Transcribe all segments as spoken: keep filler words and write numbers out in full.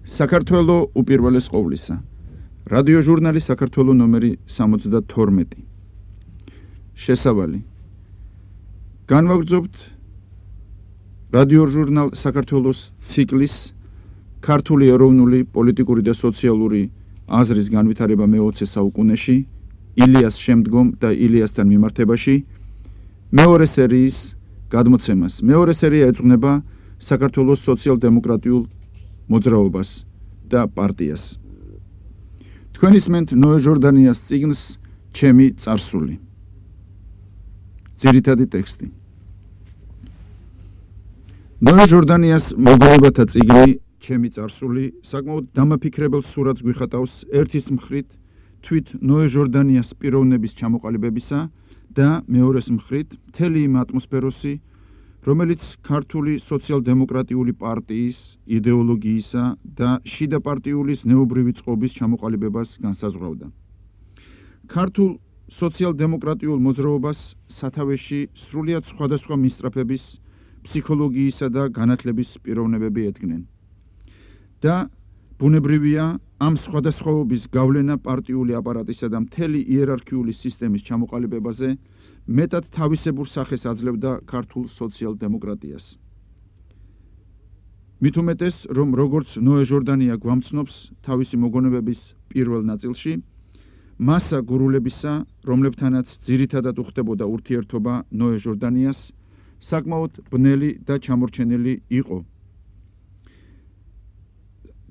საქართველო უპირველეს ყოვლისა. რადიო ჟურნალი საქართველო ნომერი სამოცდათორმეტი. შესავალი. განვაგრძობთ რადიო ჟურნალ საქართველოს ციკლის ქართული ეროვნული პოლიტიკური და სოციალური აზრის განვითარება მეოცე საუკუნეში, ილიას შემდგომ და ილიასთან მიმართებაში მეორე სერიის გადმოცემას. მეორე სერია ეძღვნება საქართველოს სოციალ-დემოკრატიულ მოძრაობას და პარტიას. თქვენ ისმენთ ნოე ჟორდანიას წიგნს ჩემი წარსული. ძირითადი ტექსტი. ნოე ჟორდანიას მოგონებათა წიგნი ჩემი წარსული საკმაოდ დამაფიქრებელ სურათს გვიხატავს ერთის მხრით თვით ნოე ჟორდანიას პიროვნების ჩამოყალიბებისა და მეორეს მხრით მთელი იმ ატმოსფეროსი, რომელიც ქართული სოციალ-დემოკრატიული პარტიის იდეოლოგიისა და შიდა პარტიულის ნეობრივი წყობის ჩამოყალიბებას განსაზღვრავდა. ქართულ სოციალ-დემოკრატიულ მოძრაობას სათავეში სრულიად სხვადასხვა მისწრაფების, ფსიქოლოგიისა და განათლების პიროვნებები ედგნენ. და ბუნებრივია ამ სხვადასხვაობის გავლენა პარტიული აპარატისა და მთელი იერარქიული სისტემის ჩამოყალიბებაზე მეტად თავისებურ სახეს აძლევდა ქართულ სოციალ-დემოკრატიას. მით უმეტეს, რომ როგორც ნოე ჟორდანია გვამცნობს თავისი მოგონებების პირველ ნაწილში, მასა გურულებისა, რომლებთანაც ძირითადად უხდებოდა ურთიერთობა ნოე ჟორდანიას, საკმაოდ ბნელი და ჩამორჩენილი იყო.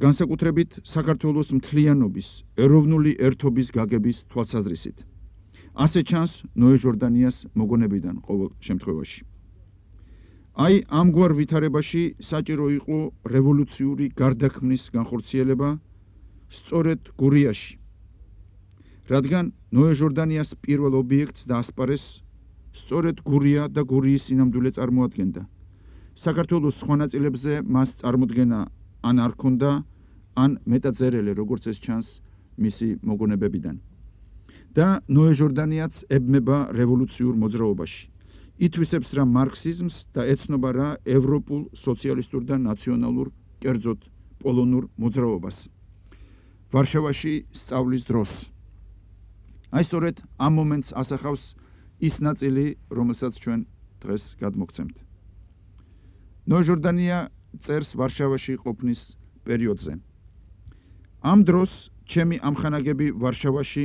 განსაკუთრებით საქართველოს მთლიანობის, ეროვნული ერთობის გაგების თვალსაზრისით. ასე ჩანს ნოე ჟორდანიას მოგონებიდან ყოველ შემთხვევაში. აი ამგვარ ვითარებაში საჭირო იყო რევოლუციური გარდაქმნის განხორციელება სწორედ გურიაში. რადგან ნოე ჟორდანიას პირველ ობიექტს დაასპარეს სწორედ გურია და გურიის სინამდვილე წარმოადგენდა. საქართველოს სხვა ნაწილებზე მას წარმოდგენა ან არ ქონდა, ან მეტად წერილი, როგორც ეს ჩანს მისი მოგონებებიდან. და ნოე ჟორდანიაც ებმება რევოლუციურ მოძრაობაში. ითვისებს რა მარქსიზმს და ეცნობა რა ევროპულ სოციალისტურ და ნაციონალურ, კერძოდ პოლონურ მოძრაობას. ვარშავაში სწავლის დროს. აი სწორედ ამ მომენტს ასახავს ის ნაწილი, რომელსაც ჩვენ დღეს გადმოგცემთ. ნოე ჟორდანია წერს ვარშავაში ყოფნის პერიოდზე. ამ დროს ჩემი ამხანაგები ვარშავაში,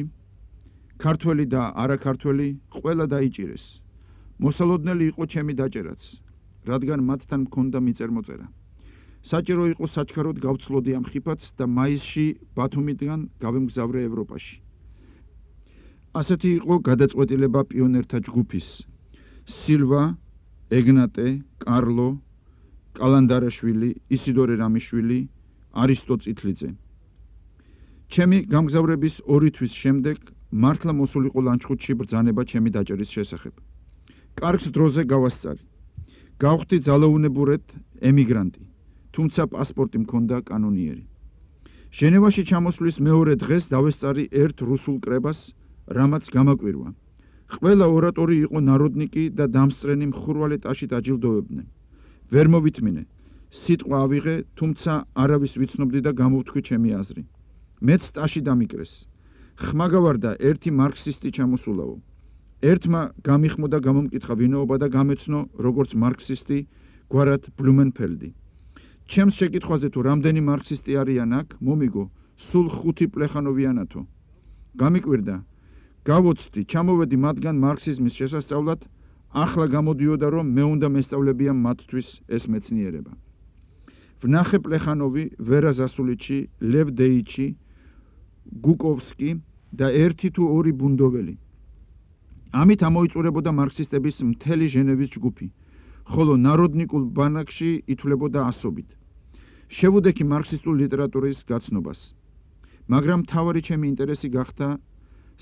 ქართველი და არაქართველი ყველა დაიჭირეს. მოსალოდნელი იყო ჩემი დაჭერაც, რადგან მათთან მქონდა მიწერ-მოწერა. საჭირო იყო საჩქაროდ გავცლოდი ამ ხიფათს და მაისში ბათუმიდან გავემგზავრე ევროპაში. ასეთი იყო გადაწყვეტილება პიონერთა ჯგუფის: სილვა, ეგნატე, კარლო, კალანდარაშვილი, ისიდორე რამიშვილი, არისტო წითლიძე. ჩემი გამგზავრების ორი თვის შემდეგ მართლა მოსულიყო ლანჩხუთში ბრძანება ჩემი დაჭერის შესახებ. კარგს დროზე გავასწარი. გავხდი ძალაუნებურად ემიგრანტი, თუმცა პასპორტი მქონდა კანონიერი. ჟენევაში ჩამოსვლის მეორე დღეს დავესწარი ერთ რუსულ კრებას, რამაც გამაკვირვა. ყველა ორატორი იყო ნაროდნიკი და დამსწრენი მხურვალე ტაშით აჯილდოვებდნენ. ვერ მოვითმინე. სიტყვა ავიღე, თუმცა არავის ვიცნობდი და გამოვთქვი ჩემი აზრი. მეც ტაში დამიკრეს. ხმა გავარდა ერთი მარქსისტი ჩამოსულაო. ერთმა გამიხმოდა გამომკითხა ვინაობა და გამეცნო, როგორც მარქსისტი, გვარად ბლუმენფელდი. ჩემს შეკითხვაზე თუ რამდენი მარქსისტი არიან აქ, მომიგო, სულ ხუთი პლეხანოვიანათო. გამიკვირდა. გავოცდი, ჩამოვედი მათგან მარქსიზმის შესასწავლად, ახლა გამოდიოდა, რომ მე უნდა მესწავლებია მათთვის ეს მეცნიერება. ვნახე პლეხანოვი, ვერა ზასულიჩი, ლევ დეიჩი, გუკოვსკი და ერთი თუ ორი ბუნდოველი. ამით ამოიწურებოდა მარქსისტების მთელი ჟენევის ჯგუფი, ხოლო ნაროდნიკულ ბანაკში ითვლებოდა ასობით. შევუდექი მარქსისტულ ლიტერატურის გაცნობას. მაგრამ მთავარი ჩემი ინტერესი გახდა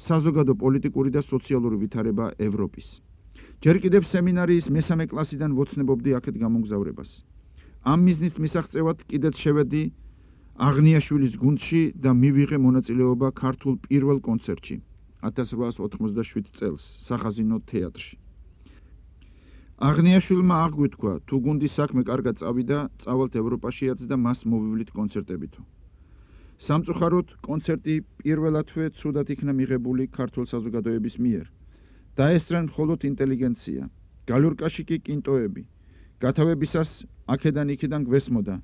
საზოგადო პოლიტიკური და სოციალური ვითარება ევროპის. ჯერ კიდევ სემინარიის მესამე კლასიდან ვოცნებობდი აქეთ გამომგზავრებას. ამ მიზნის მისაღწევად კიდეც შევედი აღნიაშვილის გუნდში და მივიღე მონაწილეობა ქართულ პირველ კონცერტში ათას რვაას ოთხმოცდაშვიდ წელს სახაზინო თეატრში. აღნიაშვილმა აღგვითქვა, თუ გუნდის საქმე კარგად წავიდა, წავალთ ევროპაშიაც და მას მოვივლით კონცერტებითო. სამწუხაროდ, კონცერტი პირველადვე ცუდად იქნა მიღებული ქართულ საზოგადოების მიერ. დაესწრნენ მხოლოდ ინტელიგენცია, გალურკაში კი კინტოები. გათავებისას აქედან იქიდან გვესმოდა,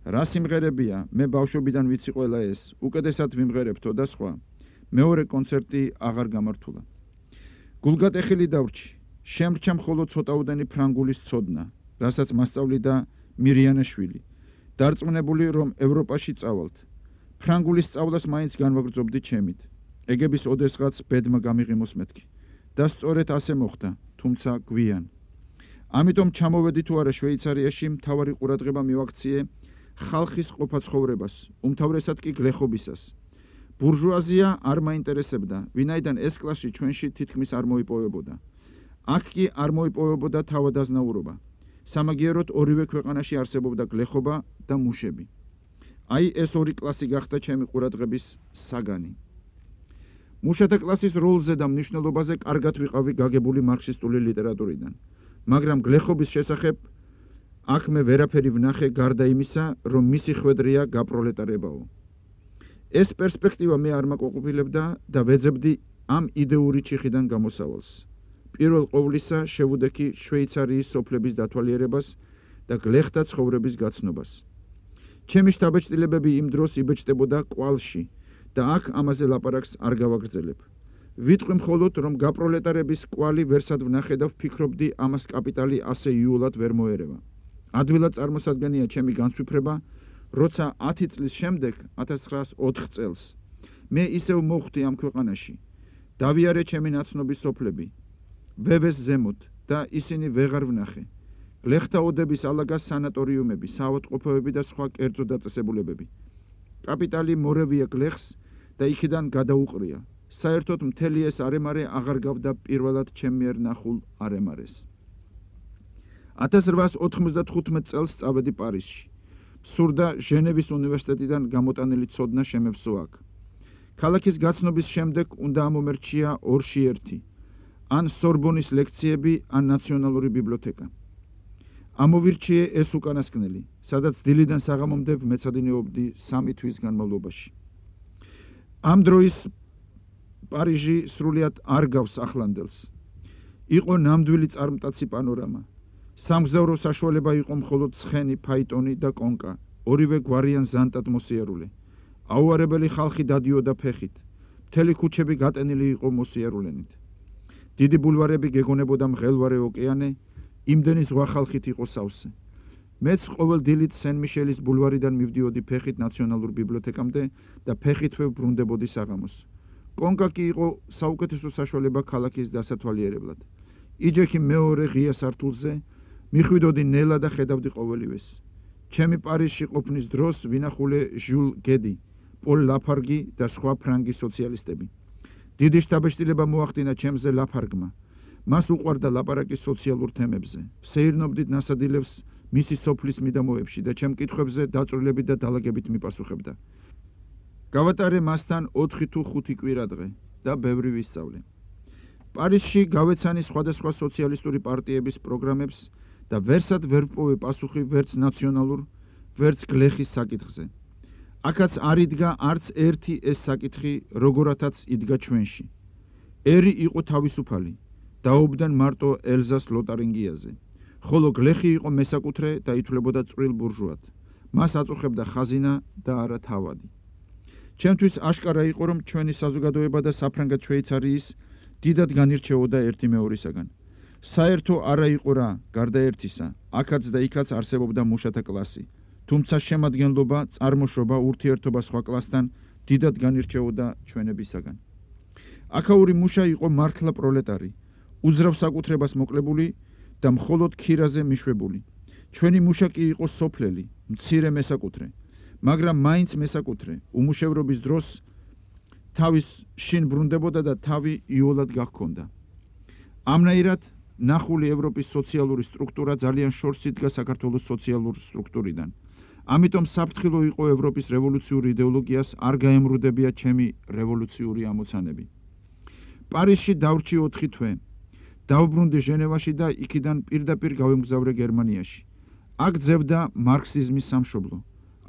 რა სიმღერებია, მე ბავშვობიდან ვიცი ყველა ეს, უკეთესად ვიმღერებთო და სხვა. მეორე კონცერტი აღარ გამართულა. გულგატეხილი დავრჩი, შემრჩა მხოლოდ ცოტაუდენი ფრანგულის ცოდნა, რასაც მასწავლიდა მირიანაშვილი. დარწმუნებული, რომ ევროპაში წავალთ. ფრანგულის სწავლას მაინც განვაგრძობდი ჩემით. ეგების ოდესღაც ბედმა გამიღიმოს მეთქი. და სწორედ ასე მოხდა, თუმცა გვიან. ამიტომ ჩამოვედი თუ არა შვეიცარიაში, მთავარი ყურადღება მივაქციე ხალხის ყოფა ცხოვრებას, უმთავრესად კი გლეხობისას. ბურჟუაზია არ მაინტერესებდა, ვინაიდან ეს კლასი ჩვენში თითქმის არ მოიპოვებოდა. აქ კი არ მოიპოვებოდა თავადაზნაურობა. სამაგიეროდ ორივე ქვეყანაში არსებობდა გლეხობა და მუშები. აი ეს ორი კლასი გახდა ჩემი ყურადღების საგანი. მუშათა კლასის როლზე და მნიშვნელობაზე კარგად ვიყავი გაგებული მარქსისტული ლიტერატურიდან, მაგრამ გლეხობის შესახებ აქ მე ვერაფერი ვნახე გარდა იმისა, რომ მისი ხვედრია გაპროლეტარებაო. ეს პერსპექტივა მე არ მაკმაყოფილებდა და ვეძებდი ამ იდეური ჩიხიდან გამოსავალს. პირველ ყოვლისა შევუდექი შვეიცარიის სოფლების დათვალიერებას და გლეხთა ცხოვრების გაცნობას. ჩემი შთაბეჭდილებები იმ დროს იბეჭდებოდა კვალში და აქ ამაზე ლაპარაკს არ გავაგრძელებ. ვიტყვი მხოლოდ, რომ გაპროლეტარების კვალი ვერსად ვნახე და ვფიქრობდი, ამას კაპიტალი ასე იულად ვერ მოერევა. ადვილად წარმოსადგენია ჩემი განცვიფრება, როცა ათი წლის შემდეგ, ათას ცხრაას ოთხ წელს, მე ისევ მოხვდი ამ ქვეყანაში. დავიარე ჩემი ნაცნობის სოფლები, ვევეს ზემოთ და ისინი ვეღარ ვნახე. გლეხთა ოდების ალაგას სანატორიუმები, საავადმყოფოები და სხვა კერძო დაწესებულებები. კაპიტალი მორევია გლეხს და იქიდან გადაუყრია. საერთოდ მთელი ეს არემარე აღარ გავდა პირველად ჩემ მიერ ნახულ არემარეს. ათას რვაას ოთხმოცდათხუთმეტ წელს წავედი პარიზში. სურდა ჟენევის უნივერსიტეტიდან გამოტანილი ცოდნა შემევსო აქ. ქალაქის გაცნობის შემდეგ უნდა ამომერჩია ორში ერთი, ან სორბონის ლექციები, ან ნაციონალური ბიბლიოთეკა. ამოვირჩიე ეს უკანასკნელი, სადაც დილიდან საღამომდე ვმეცადინეობდი სამი თვის განმავლობაში. ამ დროის პარიჟი სრულიად არ გავს ახლანდელს. იყო ნამდვილი წარმტაცი პანორამა. სამგზავრო საშუალება იყო მხოლოდ ცხენი, ფაიტონი და კონკა, ორივე გვარიან ზანტად მოსიარულე. აუარებელი ხალხი დადიოდა ფეხით. მთელი ქუჩები გატენილი იყო მოსიარულენით. დიდი ბულვარები გეგონებოდა მღელვარე ოკეანე, იმდენი ზღვა ხალხით იყო სავსე. მეც ყოველ დილით სენ-მიშელის ბულვარიდან მივდიოდი ფეხით ნაციონალურ ბიბლიოთეკამდე და ფეხითვე ვბრუნდებოდი საღამოს. კონკა კი იყო საუკეთესო საშუალება ქალაქის დასათვალიერებლად. იჯექი მეორე ღია სართულზე, მიხვიდოდი ნელა და ხედავდი ყოველივეს. ჩემი პარიზში ყოფნის დროს ვინახულე ჟულ გედი, პოლ ლაფარგი და სხვა ფრანგი სოციალისტები. დიდი შთაბეჭდილება მოახდინა ჩემზე ლაფარგმა. მას უყვარდა ლაპარაკი სოციალურ თემებზე. ვსეირნობდით ნასადილებს მისი სოფლის მიდამოებში და ჩემ კითხვებზე დაწვრილებით და დალაგებით მიპასუხებდა. გავატარე მასთან ოთხი თუ ხუთი კვირადღე და ბევრი ვისწავლე. პარიზში გავეცანი სხვადასხვა სოციალისტური პარტიების პროგრამებს და ვერსად ვერ ვპოვე პასუხი ვერც ნაციონალურ, ვერც გლეხის საკითხზე. აქაც არ იდგა არც ერთი ეს საკითხი, როგორათაც იდგა ჩვენში. ერი იყო თავისუფალი, დაობდნენ მარტო ელზას ლოტარინგიაზე, ხოლო გლეხი იყო მესაკუთრე და ითვლებოდა წვრილ ბურჟუად. მას აწუხებდა ხაზინა და არა თავადი. ჩემთვის აშკარა იყო, რომ ჩვენი საზოგადოება და საფრანგეთ შვეიცარიის დიდად განირჩეოდა ერთი მეორისაგან. საერთო არა იყო რა, გარდა ერთისა, აქაც და იქაც არსებობდა მუშათა კლასი, თუმცა შემადგენლობა, წარმოშობა, ურთიერთობა სხვა კლასთან დიდად განირჩეოდა ჩვენებისაგან. აქაური მუშა იყო მართლა პროლეტარი, უძრავ საკუთრებას მოკლებული და მხოლოდ ქირაზე მიშვებული. ჩვენი მუშა კი იყო სოფლელი, მცირე მესაკუთრე, მაგრამ მაინც მესაკუთრე, უმუშევრობის დროს თავის შინ ბრუნდებოდა და თავი იოლად გახქონდა. ამნაირად ნახული ევროპის სოციალური სტრუქტურა ძალიან შორს იდგა საქართველოს სოციალურ სტრუქტურიდან. ამიტომ საფრთხილო იყო ევროპის რევოლუციური იდეოლოგიას არ გაემრუდებია ჩემი რევოლუციური ამოცანები. პარიზში დავრჩი ოთხი თვე. დავბრუნდი ჟენევაში და იქიდან პირდაპირ გავემგზავრე გერმანიაში. აქ ძევდა მარქსიზმის სამშობლო.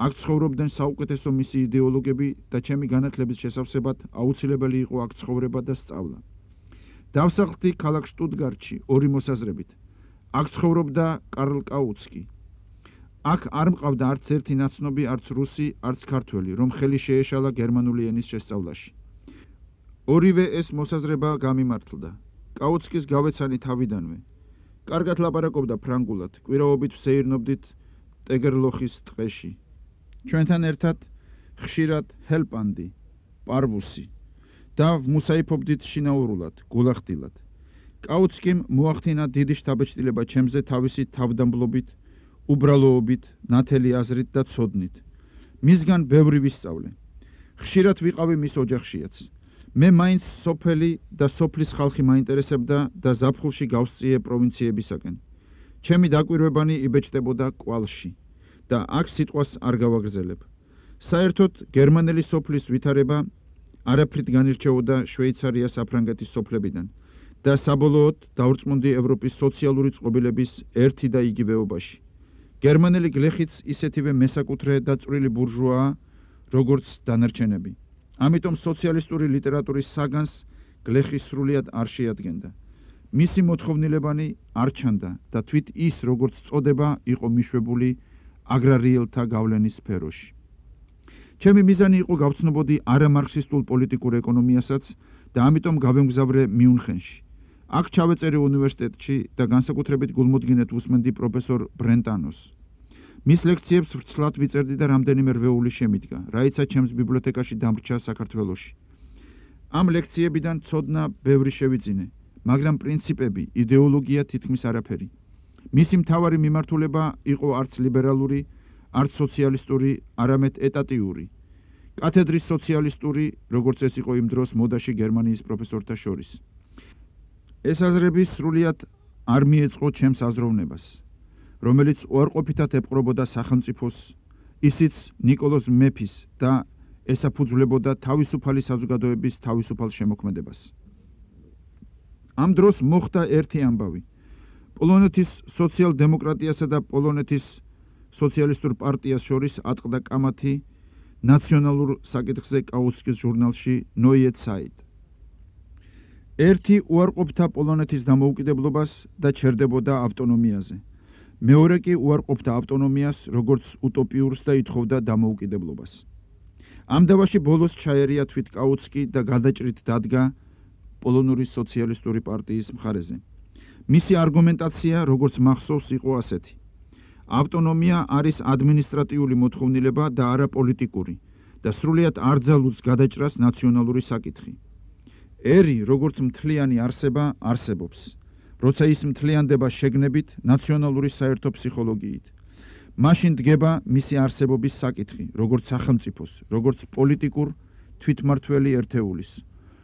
აქ ცხოვრობდნენ საუკეთესო მისი იდეოლოგები და ჩემი განათლების შესავსებად აუცილებელი იყო აქ ცხოვრება და სწავლა. დავსახლდი ქალაქ შტუტგარტში ორი მოსაზრებით. აქ ცხოვრობდა კარლ კაუცკი. აქ არ მყავდა არც ერთი ნაცნობი, არც რუსი, არც ქართველი, რომ ხელი შეეშალა გერმანული ენის შესწავლაში. ორივე ეს მოსაზრება გამიმართლდა. კაუცკის გავეცანი თავიდანვე. კარგად ლაპარაკობდა ფრანგულად, კვირაობით ვსეირნობდით ტეგერლოხის ტყეში. ჩვენთან ერთად ხშირად ჰელპანდი, პარვუსი და ვმუსაიფობდით შინაურულად, გულახდილად. კაუცკიმ მოახდინა დიდი შთაბეჭდილება ჩემზე თავისი თავდამბლობით, უბრალოობით, ნათელი აზრით და ცოდნით. მისგან ბევრი ვისწავლე. ხშირად ვიყავი მის ოჯახშიაც. მე მაინც სოფელი და სოფლის ხალხი მაინტერესებდა და ზაფხულში გავსწიე პროვინციებისაკენ. ჩემი დაკვირვებანი იბეჭდებოდა კვალში და აქ სიტყვას არ გავაგრძელებ. საერთოდ გერმანელი სოფლის ვითარება არაფრით განირჩეოდა შვეიცარია საფრანგეთის სოფლებიდან და საბოლოოდ დავრწმუნდი ევროპის სოციალური წყობილების ერთი და იგივეობაში. გერმანელი გლეხიც ისეთივე მესაკუთრე და წვრილი ბურჟუაა, როგორც დანარჩენები. ამიტომ სოციალისტური ლიტერატურის საგანს გლეხი სრულიად არ შეადგენდა. მისი მოთხოვნილებანი არ ჩანდა და თვით ის, როგორც წოდება, იყო მიშვებული აგრარიელთა გავლენის სფეროში. ჩემი მიზანი იყო გავცნობოდი არამარქსისტულ პოლიტიკურ ეკონომიასაც და ამიტომ გავემგზავრე მიუნხენში. აქ ჩავეწერე უნივერსიტეტში და განსაკუთრებით გულმოდგინედ უსმენდი პროფესორ ბრენტანოს. მის ლექციებს ვრცლად ვიწერდი და რამდენიმე რვეული შემიდგა, რაიცა ჩემს ბიბლიოთეკაში დამრჩა საქართველოში. ამ ლექციებიდან ცოდნა ბევრი შევიძინე, მაგრამ პრინციპები, იდეოლოგია თითქმის არაფერი. მისი მთავარი მიმართულება იყო არც ლიბერალური, არც სოციალისტური, არამედ ეტატიური. კათედრის სოციალისტური, როგორც ეს იყო იმ დროს მოდაში გერმანიის პროფესორთა შორის. ეს აზრები სრულიად არ მიეწყო ჩემს აზროვნებას, რომელიც უარყოფითად ეპყრობოდა სახელმწიფოს, ისიც ნიკოლოზ მეფის და ესაფუძვლებოდა თავისუფალი საზოგადოების თავისუფალ შემოქმედებას. ამ დროს მოხდა ერთი ამბავი. პოლონეთის სოციალ-დემოკრატიასა და პოლონეთის სოციალისტურ პარტიას შორის ატყდა კამათი ნაციონალურ საკითხზე კაუცკის ჟურნალში Neue Zeit. ერთი უარყოფდა პოლონეთის დამოუკიდებლობას და ჩერდებოდა ავტონომიაზე. მეორე კი უარყოფდა ავტონომიას, როგორც უტოპიურს და ითხოვდა დამოუკიდებლობას. ამ დავაში ბოლოს ჩაერია თვით კაუცკი და გადაჭრით დადგა პოლონური სოციალისტური პარტიის მხარეზე. მისი არგუმენტაცია, როგორც მახსოვს, იყო ასეთი: ავტონომია არის ადმინისტრატიული მოთხოვნილება და არა პოლიტიკური და სრულიად არ ძალუძს გადაჭრას ნაციონალური საკითხი. ერი, როგორც მთლიანი არსება, არსებობს, როცა ის მთლიანდება შეგნებით, ნაციონალური საერთო ფსიქოლოგიით. მაშინ დგება მისი არსებობის საკითხი, როგორც სახელმწიფოს, როგორც პოლიტიკურ თვითმმართველი ერთეულის,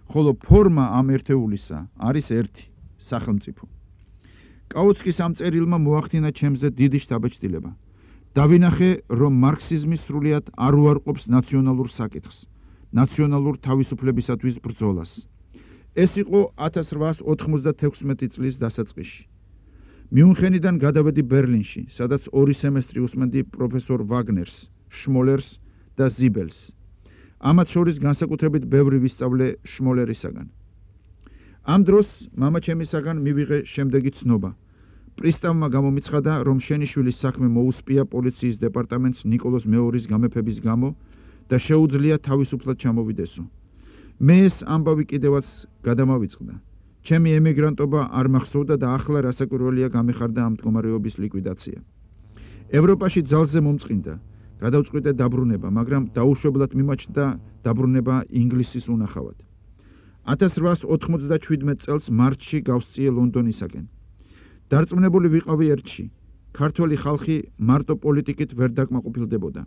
ხოლო ფორმა ამ ერთეულისა არის ერთი, სახელმწიფო. კაუცკის ამ წერილმა მოახდინა ჩემზე დიდი შთაბეჭდილება. დავინახე, რომ მარქსიზმი სრულიად არ უარყოფს ნაციონალურ საკითხს, ნაციონალურ თავისუფლებისათვის ბრძოლას. ეს იყო ათას რვაას ოთხმოცდათექვსმეტი წლის დასაწყისში. მიუნხენიდან გადავედი ბერლინში, სადაც ორი სემესტრი უსმენდი პროფესორ ვაგნერს, შმოლერს და ზიბელს. ამათ შორის განსაკუთრებით ბევრი ვისწავლე შმოლერისაგან. ამ დროს მამაჩემისაგან მივიღე შემდეგი ცნობა. პრისტავმა გამომიცხადა, რომ შენიშვილის საქმე მოუსპია პოლიციის დეპარტამენტს ნიკოლოზ მეორის გამეფების გამო და შეუძლია თავისუფლად ჩამოვიდესო. მე ეს ამბავი კიდევაც გადამავიწყდა. ჩემი ემიგრანტობა არ მახსოვდა და ახლა რასაკვირველია გამეხარდა ამ მდგომარეობის ლიკვიდაცია. ევროპაში ძალზე მომწყინდა, გადავწყვიტე დაბრუნება, მაგრამ დაუშვებლად მიმაჩნდა დაბრუნება ინგლისის უნახავად. ათას რვაას ოთხმოცდაჩვიდმეტ წელს მარტში გავსწიე ლონდონისაკენ. დარწმუნებული ვიყავი ერთში: ქართველი ხალხი მარტო პოლიტიკით ვერ დაკმაყოფილდებოდა.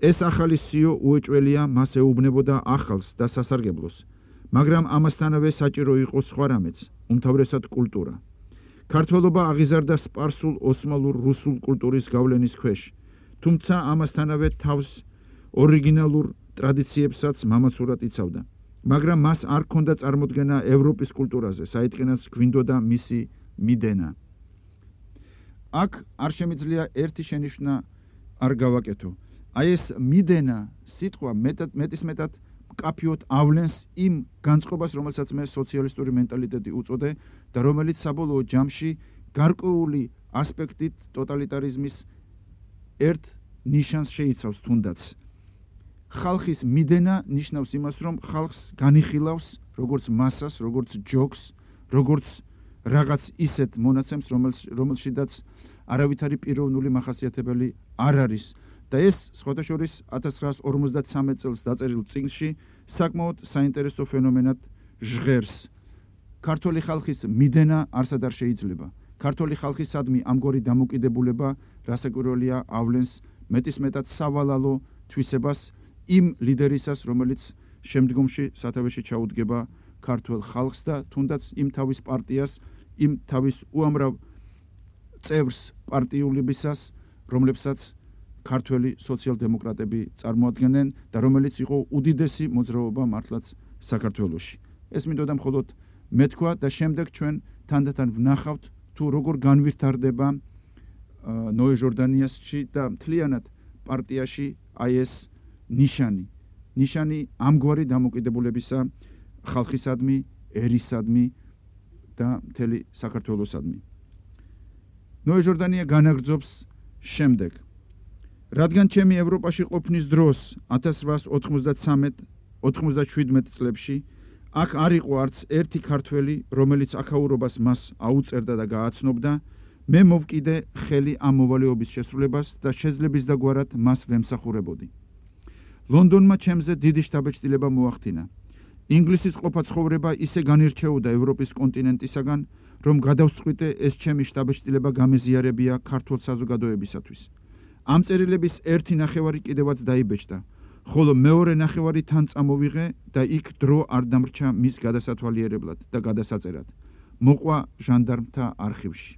ეს ახალი სიო უეჭველია, მას ეუბნებოდა ახალს და სასარგებლოს, მაგრამ ამასთანავე საჭირო იყო სხვა რამეც, უმთავრესად კულტურა. ქართველობა აღიზარდა სპარსულ, ოსმალურ, რუსულ კულტურის გავლენის ქვეშ, თუმცა ამასთანავე თავს ორიგინალურ ტრადიციებსაც მამაცურად იცავდა. მაგრამ მას არ ჰქონდა წარმოდგენა ევროპის კულტურაზე, საიდანაც გვინდოდა მისი მიდენა. აქ არ შემიძლია ერთი შენიშვნა არ გავაკეთო. აი ეს მიდენა სიტყვა მეტად მეტის მეტად მკაფიოდ ავლენს იმ განწყობას, რომელსაც მე სოციალისტური მენტალიტეტი უწოდე და რომელიც საბოლოო ჯამში გარკვეული ასპექტით ტოტალიტარიზმის ერთ ნიშანს შეიცავს თუნდაც. ხალხის მიდენა ნიშნავს იმას, რომ ხალხს განიხილავს როგორც მასას, როგორც ჯოგს, როგორც რაღაც ისეთ მონაცემს, რომელშიდაც არავითარი პიროვნული მახასიათებელი არ არის. და ეს სხვადასხვა ათას ცხრაას ორმოცდათსამეტ წელს დაწერილ წიგნში საკმაოდ საინტერესო ფენომენად ჟღერს. ქართული ხალხის მიდენა არსად არ შეიძლება. ქართული ხალხისადმი ამგვარი დამოკიდებულება, რასაკვირველია, ავლენს მეტის მეტად სავალალო თვისებას იმ ლიდერისას, რომელიც შემდგომში სათავეში ჩაუდგება ქართულ ხალხს და თუნდაც იმ თავის პარტიას, იმ თავის უამრავ წევრს პარტიულებისას, რომლებსაც ქართველი სოციალ-დემოკრატები წარმოადგენენ და რომელიც იყო უდიდესი მოძრაობა მართლაც საქართველოში. ეს მინდოდა მხოლოდ მეთქვა და შემდეგ ჩვენ თანდათან ვნახავთ თუ როგორ განვითარდება ნოე ჟორდანიასში და მთლიანად პარტიაში აი ეს ნიშანი. ნიშანი ამგვარი დამოკიდებულებისა ხალხისადმი, ერისადმი და მთელი საქართველოსადმი. ნოე ჟორდანია განაგრძობს შემდეგ. რადგან ჩემი ევროპაში ყოფნის დროს ათას ცხრაას ოთხმოცდათსამეტ ოთხმოცდაშვიდმეტ წლებში აქ არ იყო არც ერთი ქართველი, რომელიც აქაურობას მას აუწერდა და გააცნობდა, მე მოვკიდე ხელი ამ მოვალეობის შესრულებას და შეძლების დაგვარად მას ვემსახურებოდი. ლონდონმა ჩემზე დიდი შთაბეჭდილება მოახდინა. ინგლისის ყოფა ცხოვრება ისე განირჩეოდა ევროპის კონტინენტისაგან, რომ გადავწყვიტე ეს ჩემი შთაბეჭდილება გამეზიარებია ქართულ საზოგადოებისათვის. ამ წერილების ერთი ნახევარი კიდევაც დაიბეჭდა, ხოლო მეორე ნახევარი თან წამოვიღე და იქ დრო არ დამრჩა მის გადასათვალიერებლად და გადასაწერად. მოყვა ჟანდარმთა არქივში.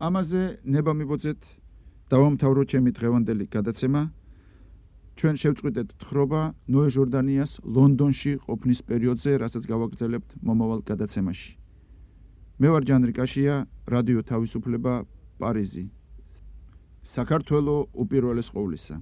ამაზე ნება მიბოძეთ დავამთავრო ჩემი დღევანდელი გადაცემა. ჩვენ შევწყვიტეთ თხრობა ნოე ჟორდანიას ლონდონში ყოფნის პერიოდზე, რასაც გავაგრძელებთ მომავალ გადაცემაში. მე ვარ ჯანრი კაშია, რადიო თავისუფლება, პარიზი. საქართველო უპირველეს ყოვლისა.